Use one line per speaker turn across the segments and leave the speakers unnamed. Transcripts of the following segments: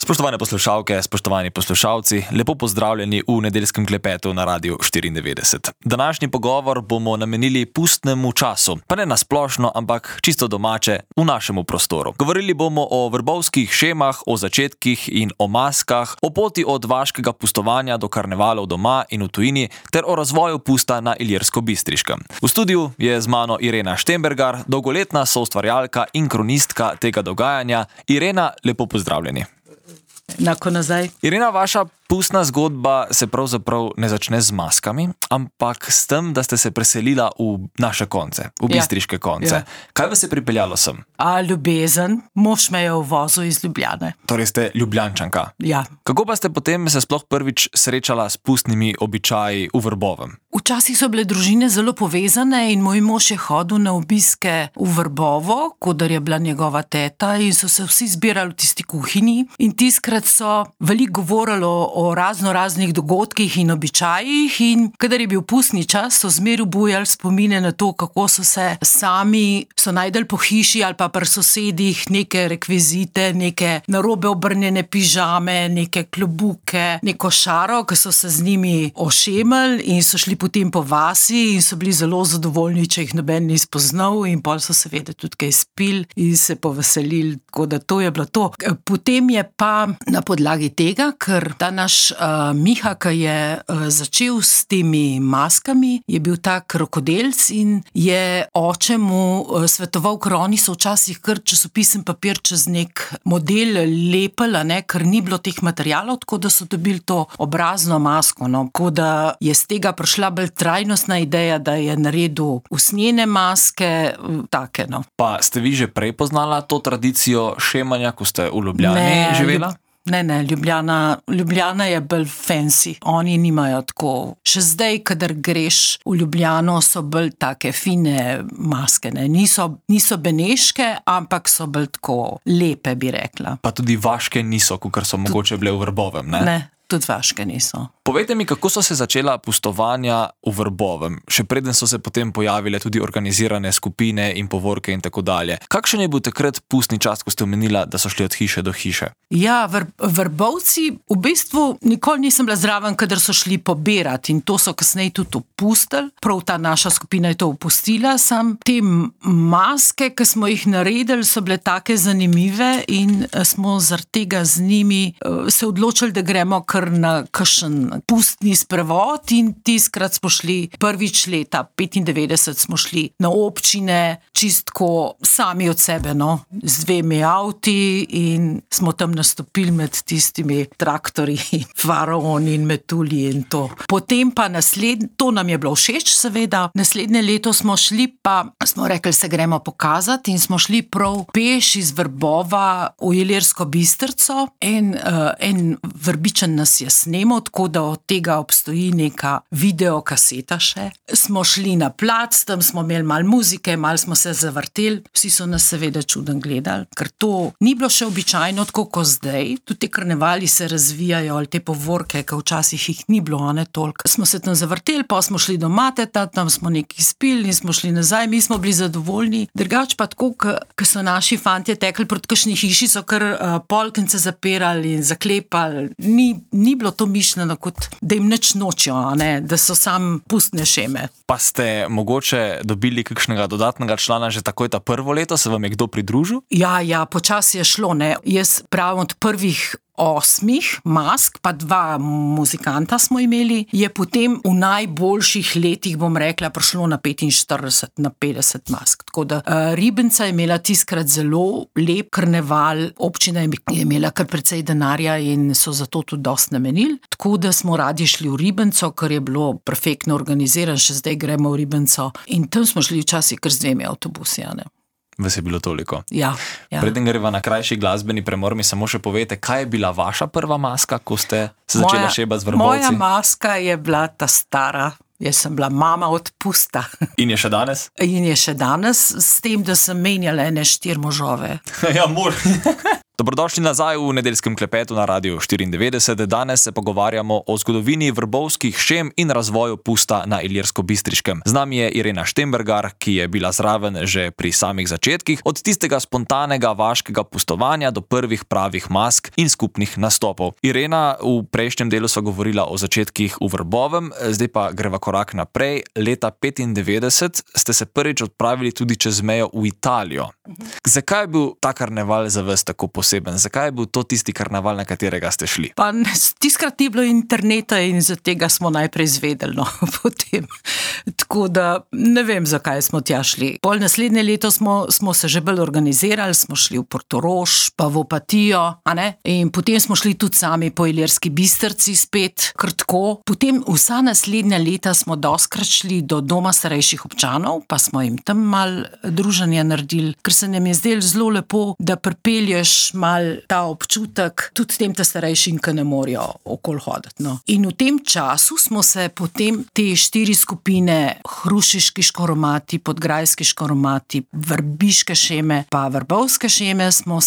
Spoštovane poslušalke, spoštovani poslušalci, lepo pozdravljeni v nedeljskem klepetu na Radiu 94. Današnji pogovor bomo namenili pustnemu času, pa ne na splošno, ampak čisto domače v našemu prostoru. Govorili bomo o vrbovskih šemah, o začetkih in o maskah, o poti od vaškega pustovanja do karnevalov doma in v tujini ter o razvoju pusta na Ilirsko-Bistriškem. V studiu je z mano Irena Štembergar, dolgoletna soustvarjalka in kronistka tega dogajanja. Irena, lepo pozdravljeni.
Enako nazaj.
Irena, vaša pustna zgodba se pravzaprav ne začne z maskami, ampak s tem, da ste se preselila v naše konce, v bistriške konce.
Ja.
Kaj vas je pripeljalo sem?
Ljubezen, mož me je vozil iz Ljubljane.
Torej ste Ljubljančanka.
Ja.
Kako pa ste potem se sploh prvič srečala s pustnimi običaji v Vrbovem?
Včasih so bile družine zelo povezane in moj mož je hodil na obiske v Vrbovo, kodar je bila njegova teta, in so se vsi zbirali v tisti kuhinji in tiskrat so veliko govorili o raznih dogodkih in običajih, in kadar je bil pustni čas, so zmeraj bujali spomine na to, kako so se sami najdeli po hiši ali pa pri sosedih neke rekvizite, neke narobe obrnjene pižame, neke klobuke, neko šaro, ki so se z njimi ošemali in so šli potem po vasi in so bili zelo zadovoljni, če jih noben ni spoznal, in pol so seveda tudi kaj spili in se poveselili, tako da to je bilo to. Potem je pa na podlagi tega, ker ta naš Miha, ki je začel s temi maskami, je bil tak rokodelc in je oče mu svetoval, ker oni so včasih kar časopisen papir čez nek model lepili, ker ni bilo teh materialov, tako da so dobili to obrazno masko. Tako da je z tega prišla bolj trajnostna ideja, da je naredil usnjene maske, take.
Pa ste vi že prej poznala to tradicijo šemanja, ko ste v Ljubljani živela?
Ne, Ljubljana je bolj fancy. Oni nimajo tako. Še zdaj, kadar greš v Ljubljano, so bolj take fine maske. Niso beneške, ampak so bolj tako lepe, bi rekla.
Pa tudi vaške niso, kakor so mogoče bile v Vrbovem, ne?
Ne, tudi vaške niso.
Povejte mi, kako so se začela pustovanja v Vrbovem, še preden so se potem pojavile tudi organizirane skupine in povorke in tako dalje. Kakšen je bil takrat pustni čas, ko ste omenila, da so šli od hiše do hiše?
Ja, Vrbovci v bistvu nikoli nisem bila zraven, kadar so šli pobirati, in to so kasneje tudi opustili. Prav ta naša skupina je to opustila. Sam te maske, ki smo jih naredili, so bile take zanimive in smo zaradi tega z njimi se odločili, da gremo kar na kakšen pustni sprevod, in tiskrat smo šli prvič leta 95 smo šli na občine čistko sami od sebe, z 2 avti, in smo tam nastopili med tistimi traktorji, faraoni in metulji in to. Potem pa to nam je bilo všeč, seveda. Naslednje leto smo šli, pa smo rekli, se gremo pokazati, in smo šli prav peš iz Vrbova v Ilirsko Bistrico. En Vrbičan nas je snemal, tako da od tega obstoji neka videokaseta še. Smo šli na plac, tam smo imeli malo muzike, malo smo se zavrteli, vsi so nas seveda čuden gledali, ker to ni bilo še običajno, tako kot zdaj. Tudi te karnevali se razvijajo, ali te povorke, ki včasih jih ni bilo, toliko. Smo se tam zavrteli, pa smo šli do Mateta, tam smo nekaj spili in smo šli nazaj, mi smo bili zadovoljni. Drugač pa tako, ko so naši fantje tekli proti kakšni hiši, so kar polkence zapirali in zaklepali. Ni bilo to mišljeno, kot da jim nič nočijo, da so sam pustne šeme.
Pa ste mogoče dobili kakšnega dodatnega člana že takoj ta prvo leto? Se vam je kdo pridružil?
Ja, počasi je šlo, Jaz pravim od prvih 8 mask, pa 2 muzikanta smo imeli, je potem v najboljših letih, bom rekla, prišlo na 45, na 50 mask. Tako da Ribenca je imela tiskrat zelo lep karneval, občina je imela kar precej denarja in so zato tudi dosti namenili. Tako da smo radi šli v Ribenco, ker je bilo perfektno organiziran, še zdaj gremo v Ribenco, in tam smo šli včasih kar z 2 avtobusi,
Vas je bilo toliko.
Ja.
Preden greva na krajši glasbeni premor, mi samo še povejte, kaj je bila vaša prva maska, ko ste se začela šebati z Vrbovci?
Moja maska je bila ta stara. Jaz sem bila mama od pusta.
In je še danes?
In je še danes, s tem, da sem menjala ene 4 možove.
Ja, mož. Dobrodošli nazaj v nedeljskem klepetu na Radiu 94. Danes se pogovarjamo o zgodovini vrbovskih šem in razvoju pusta na Ilirsko-Bistriškem. Z nami je Irena Štembergar, ki je bila zraven že pri samih začetkih, od tistega spontanega vaškega pustovanja do prvih pravih mask in skupnih nastopov. Irena, v prejšnjem delu sva govorila o začetkih v Vrbovem, zdaj pa greva korak naprej. Leta 1995 ste se prvič odpravili tudi čez mejo v Italijo. Zakaj je bil ta karneval za vas tako poseben? Zakaj je bil to tisti karneval, na katerega ste šli?
Pa tiskrat ni bilo interneta in za tega smo najprej izvedeli, no, potem. Tako da ne vem, zakaj smo tja šli. Pol naslednje leto smo se že bolj organizirali, smo šli v Portorož, pa v Opatijo, a ne? In potem smo šli tudi sami po Ilirski Bistrici spet, kar tako. Potem vsa naslednja leta smo doskrat šli do doma starejših občanov, pa smo jim tam mal druženja naredili, ker se nam je zdelo zelo lepo, da pripelješ mal ta občutek tudi tem starejšim, ki ne morejo okoli hoditi. No. In v tem času smo se potem te 4 skupine, hrušiški škoromati, podgrajski škoromati, vrbiške šeme, pa vrbovske šeme, smo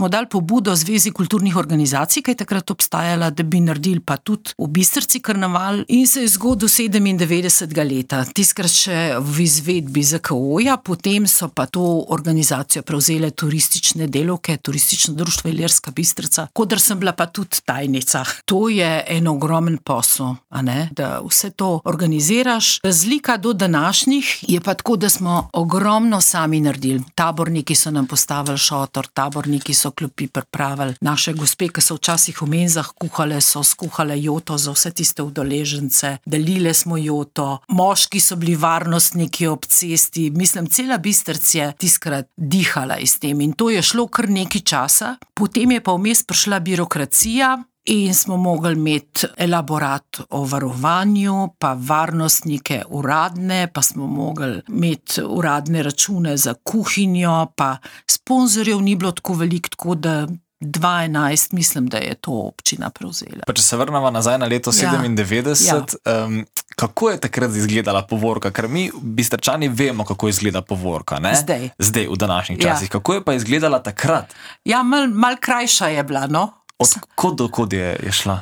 dali pobudo Zvezi kulturnih organizacij, ki je takrat obstajala, da bi naredili pa tudi v Bistrici karneval, in se je zgodil 97. leta. Tiskrat še v izvedbi ZKO-ja, potem so pa to organizacijo prevzele turistične delavke, turistično društvo Ilirska Bistrica, kodr sem bila pa tudi tajnica. To je en ogromen posel, a ne, da vse to organiziraš. Razlika do današnjih je pa tako, da smo ogromno sami naredili. Taborniki so nam postavili šotor, taborniki so klopi pripravili. Naše gospe, ki so včasih v menzah kuhale, so skuhale joto za vse tiste udeležence, delile smo joto, moški so bili varnostniki ob cesti, mislim, cela Bistrica je tiskrat dihala iz tem in to je šlo kar nekaj časa. Potem je pa vmes prišla birokracija in smo mogli imeti elaborat o varovanju, pa varnostnike uradne, pa smo mogli imeti uradne račune za kuhinjo, pa sponzorjev ni bilo tako veliko, tako da 2011, mislim, da je to občina prevzela.
Pa če se vrnemo nazaj na leto 97, kako je takrat izgledala povorka? Ker mi, Bistričani, vemo, kako izgleda povorka, ne? Zdaj, v današnjih časih. Kako je pa izgledala takrat? Ja,
mal krajša je bila, no.
Od kod do kod je šla?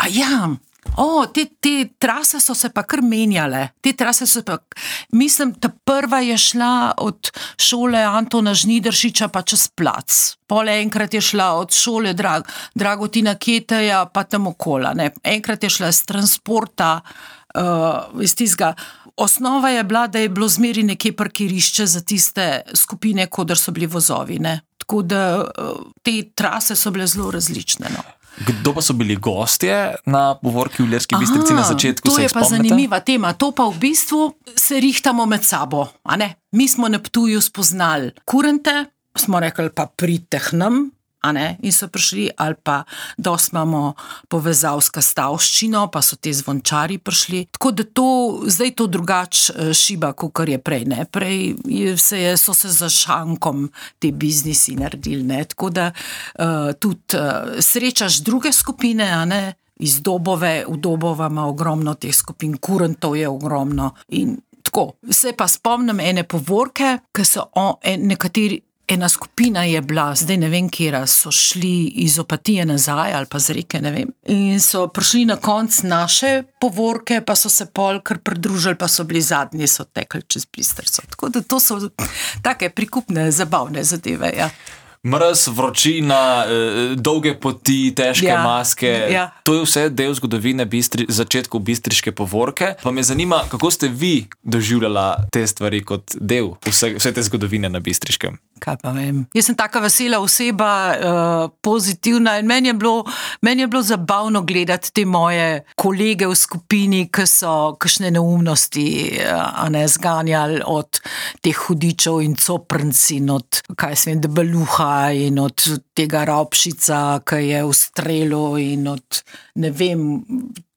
Te trase so se pa kar menjale. Mislim, ta prva je šla od šole Antona Žnidaršiča pa čez plac. Pol enkrat je šla od šole Dragotina Keteja pa tam okola, ne. Enkrat je šla z transporta, iz tistega. Osnova je bila, da je bilo zmeri nekje parkirišče za tiste skupine, kodr so bili vozovi, ne. Tako da te trase so bile zelo različne, no.
Kdo pa so bili gostje na povorki v Ilirski Bistrici na začetku, se jih spomnite?
To je pa zanimiva tema. To pa v bistvu se rihtamo med sabo, a ne? Mi smo na Ptuju spoznali kurente, smo rekli pa pridite k nam, a ne? In so prišli, ali pa dosti imamo povezav s Kastavščino, pa so te zvončari prišli. Tako da zdaj to drugač šiba, kakor je prej, ne? Prej so se za šankom te biznisi naredili, ne? Tako da tudi srečaš druge skupine, a ne? Iz Dobove, v Dobova ima ogromno teh skupin, kurentov je ogromno in tako. Se pa spomnim ene povorke, ki so nekateri. Ena skupina je bila, zdaj ne vem kjera, so šli iz Opatije nazaj ali pa z Reke, ne vem. In so prišli na konc naše povorke, pa so se pol kar pridružili, pa so bili zadnji, so tekli čez Bistrico. Tako da to so take prikupne, zabavne zadeve, ja.
Mraz, vročina, dolge poti, težke maske, to je vse del zgodovine začetkov bistriške povorke. Pa me zanima, kako ste vi doživljala te stvari kot del vse te zgodovine na Bistriškem?
Kaj pa vem. Jaz sem taka vesela oseba, pozitivna in meni je bilo zabavno gledati te moje kolege v skupini, ki so kakšne neumnosti zganjali od teh hudičev in coprnc in od, debeluha in od tega Ropšica, ki je v strelu in od, ne vem,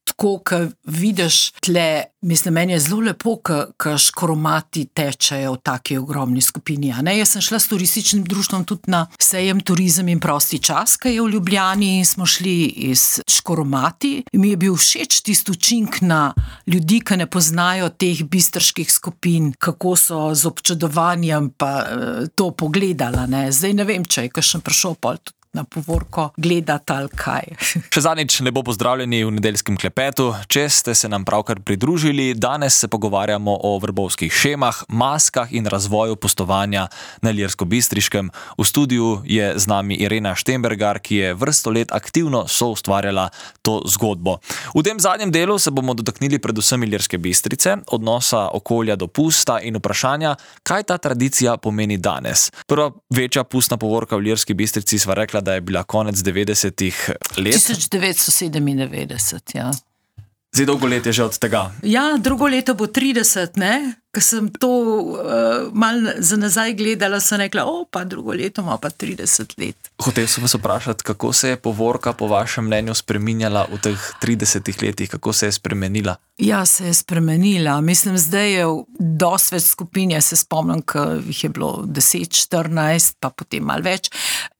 tako, ko vidiš tle, mislim, meni je zelo lepo, ko škoromati tečejo v taki ogromni skupini. Jaz sem šla s turističnim društvom tudi na sejem Turizem in prosti čas, ki je v Ljubljani, in smo šli iz škoromati. Mi je bil všeč tisti učinek na ljudi, ki ne poznajo teh bistriških skupin, kako so z občudovanjem pa to pogledala. Zdaj ne vem, če je kakšen prišel pol tudi na povorko gledati ali kaj.
Še zadnjič lepo pozdravljeni v nedeljskem klepetu. Če ste se nam pravkar pridružili, danes se pogovarjamo o vrbovskih šemah, maskah in razvoju pustovanja na Ilirsko-Bistriškem. V studiu je z nami Irena Štembergar, ki je vrsto let aktivno soustvarjala to zgodbo. V tem zadnjem delu se bomo dotaknili predvsem Ilirske Bistrice, odnosa okolja do pusta in vprašanja, kaj ta tradicija pomeni danes. Prva večja pustna povorka v Ilirski Bistrici sva rekla, da je bila konec 90-ih let.
1997, ja.
Zdaj dolgo let je že od tega.
Ja, drugo leto bo 30, ne? Ko sem to malo za nazaj gledala, sem rekla, pa drugo leto ima pa 30 let.
Hotel sem vas vprašati, kako se je povorka po vašem mnenju spreminjala v teh 30 letih, kako se je spremenila?
Ja, se je spremenila. Mislim, zdaj je dosti več skupin, se spomnim, ko jih je bilo 10, 14, pa potem malo več.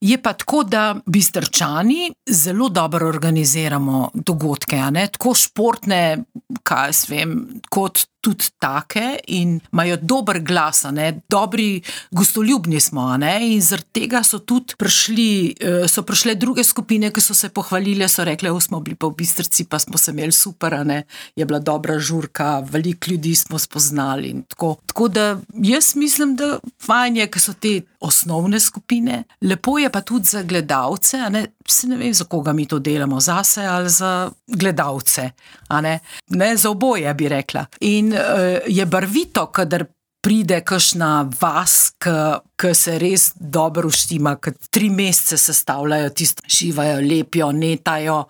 Je pa tako, da Bistričani zelo dobro organiziramo dogodke, a ne? Tako športne, kaj jaz vem, kot tudi take in imajo dober glas, a ne? Dobri gostoljubni smo, a ne? In zaradi tega so tudi prišle druge skupine, ki so se pohvalile, so rekle, smo bili pa v Bistrici, pa smo se imeli super, a ne? Je bila dobra žurka, veliko ljudi smo spoznali in tako. Tako da jaz mislim, da fajn je, ker so te osnovne skupine. Lepo je pa tudi za gledalce, a ne? Se ne vem, za koga mi to delamo, zase ali za gledalce, a ne? Ne, za oboje bi rekla. In je barvito, kadar pride kakšna vas, ki se res dobro uštima, ki 3 mesece sestavljajo tisto, šivajo, lepijo, netajo.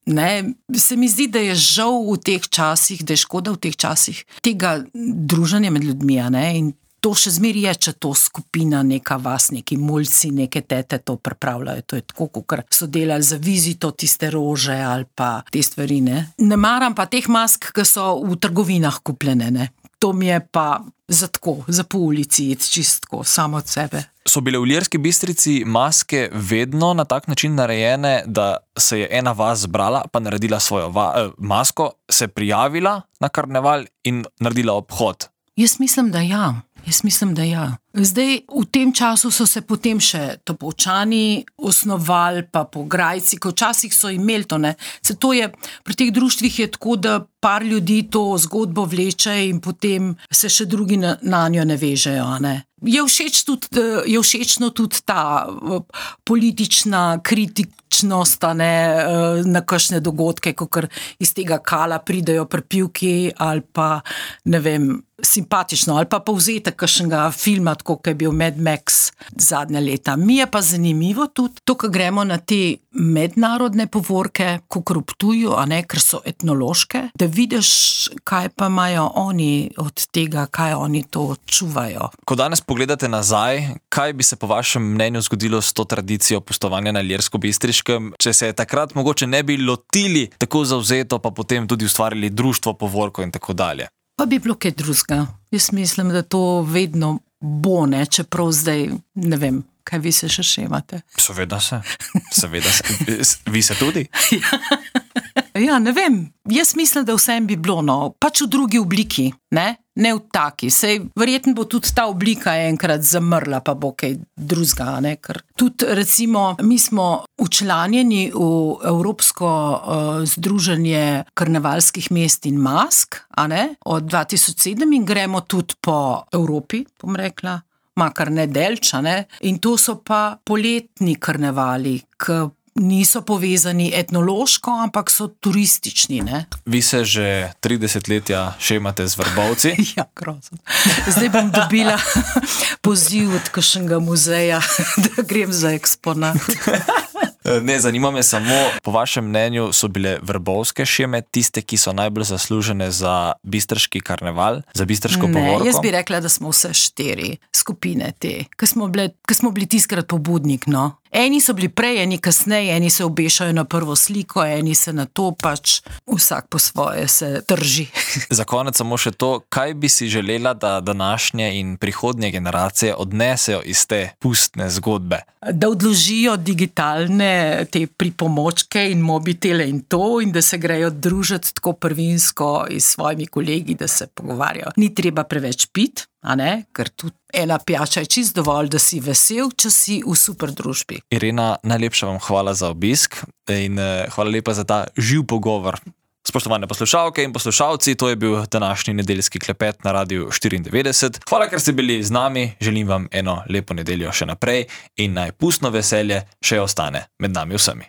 Ne? Se mi zdi, da je žal v teh časih, da je škoda v teh časih tega druženja med ljudmi, a ne? In to še zmeri je, če to skupina, neka vas, neki mulci, neke tete to pripravljajo. To je tako, kot so delali za vizito tiste rože ali pa te stvari, ne. Ne maram pa teh mask, ki so v trgovinah kupljene, ne. To mi je pa za tako, za po ulici, čistko, samo od sebe.
So bile v Ilirski Bistrici maske vedno na tak način narejene, da se je ena vas zbrala, pa naredila svojo masko, se prijavila na karneval in naredila obhod?
Jaz mislim, da ja. Zdaj, v tem času so se potem še Topolčani osnovali, pa Pograjci, ko včasih so imeli to, ne. Se to je, pri teh društvih je tako, da par ljudi to zgodbo vleče in potem se še drugi na njo ne vežejo, a ne. Je všečno tudi ta politična kritičnost, a ne, na kakšne dogodke, kakor iz tega kala pridejo pripivki ali pa, ne vem, simpatično, ali pa povzetek kakšnega filma, tako kot je bil Mad Max zadnja leta. Mi je pa zanimivo tudi to, ko gremo na te mednarodne povorke, kakor v Ptuju, a ne, ker so etnološke, da vidiš, kaj pa imajo oni od tega, kaj oni to čuvajo. Ko
danes pogledate nazaj, kaj bi se po vašem mnenju zgodilo s to tradicijo pustovanja na Ilirsko-Bistriškem, če se je takrat mogoče ne bi lotili tako zavzeto, pa potem tudi ustvarili društvo povorko in tako dalje?
Pa bi bilo kaj drugega. Jaz mislim, da to vedno bo, ne, čeprav zdaj, ne vem, kaj vi se še šemate.
Seveda se. Vi se tudi?
Ja, ne vem. Jaz mislim, da vsem bi bilo, no, pač v drugi obliki, ne v taki. Sej verjetno bo tudi ta oblika enkrat zamrla, pa bo kaj drugega, ne, ker tudi recimo mi smo včlanjeni v Evropsko združenje karnevalskih mest in mask, a ne, od 2007 in gremo tudi po Evropi, bom rekla, makar ne delča, ne, in to so pa poletni karnevali, ki niso povezani etnološko, ampak so turistični, ne.
Vi se že 30 letja šemate z Vrbovci.
Ja, grozno. Zdaj bom dobila poziv od kakšnega muzeja, da grem za eksponat.
Ne, zanima me samo, po vašem mnenju so bile vrbovske šeme tiste, ki so najbolj zaslužene za bistriški karneval, za bistriško povorko?
Ne, jaz bi rekla, da smo vse 4 skupine te, ki smo bili tiskrat pobudnik, no. Eni so bili prej, eni kasneje, eni se obešajo na prvo sliko, eni se na to, pač vsak po svoje se drži.
Za konec samo še to, kaj bi si želela, da današnje in prihodnje generacije odnesejo iz te pustne zgodbe?
Da odložijo digitalne te pripomočke in mobitele in to, in da se grejo družiti tako prvinsko s svojimi kolegi, da se pogovarjajo. Ni treba preveč piti. ker tudi ena pijača je čist dovolj, da si vesel, če si v super družbi.
Irena, najlepša vam hvala za obisk in hvala lepa za ta živ pogovor. Spoštovane poslušalke in poslušalci, to je bil današnji nedeljski klepet na Radiu 94. Hvala, ker ste bili z nami, želim vam eno lepo nedeljo še naprej in naj pustno veselje še ostane med nami vsemi.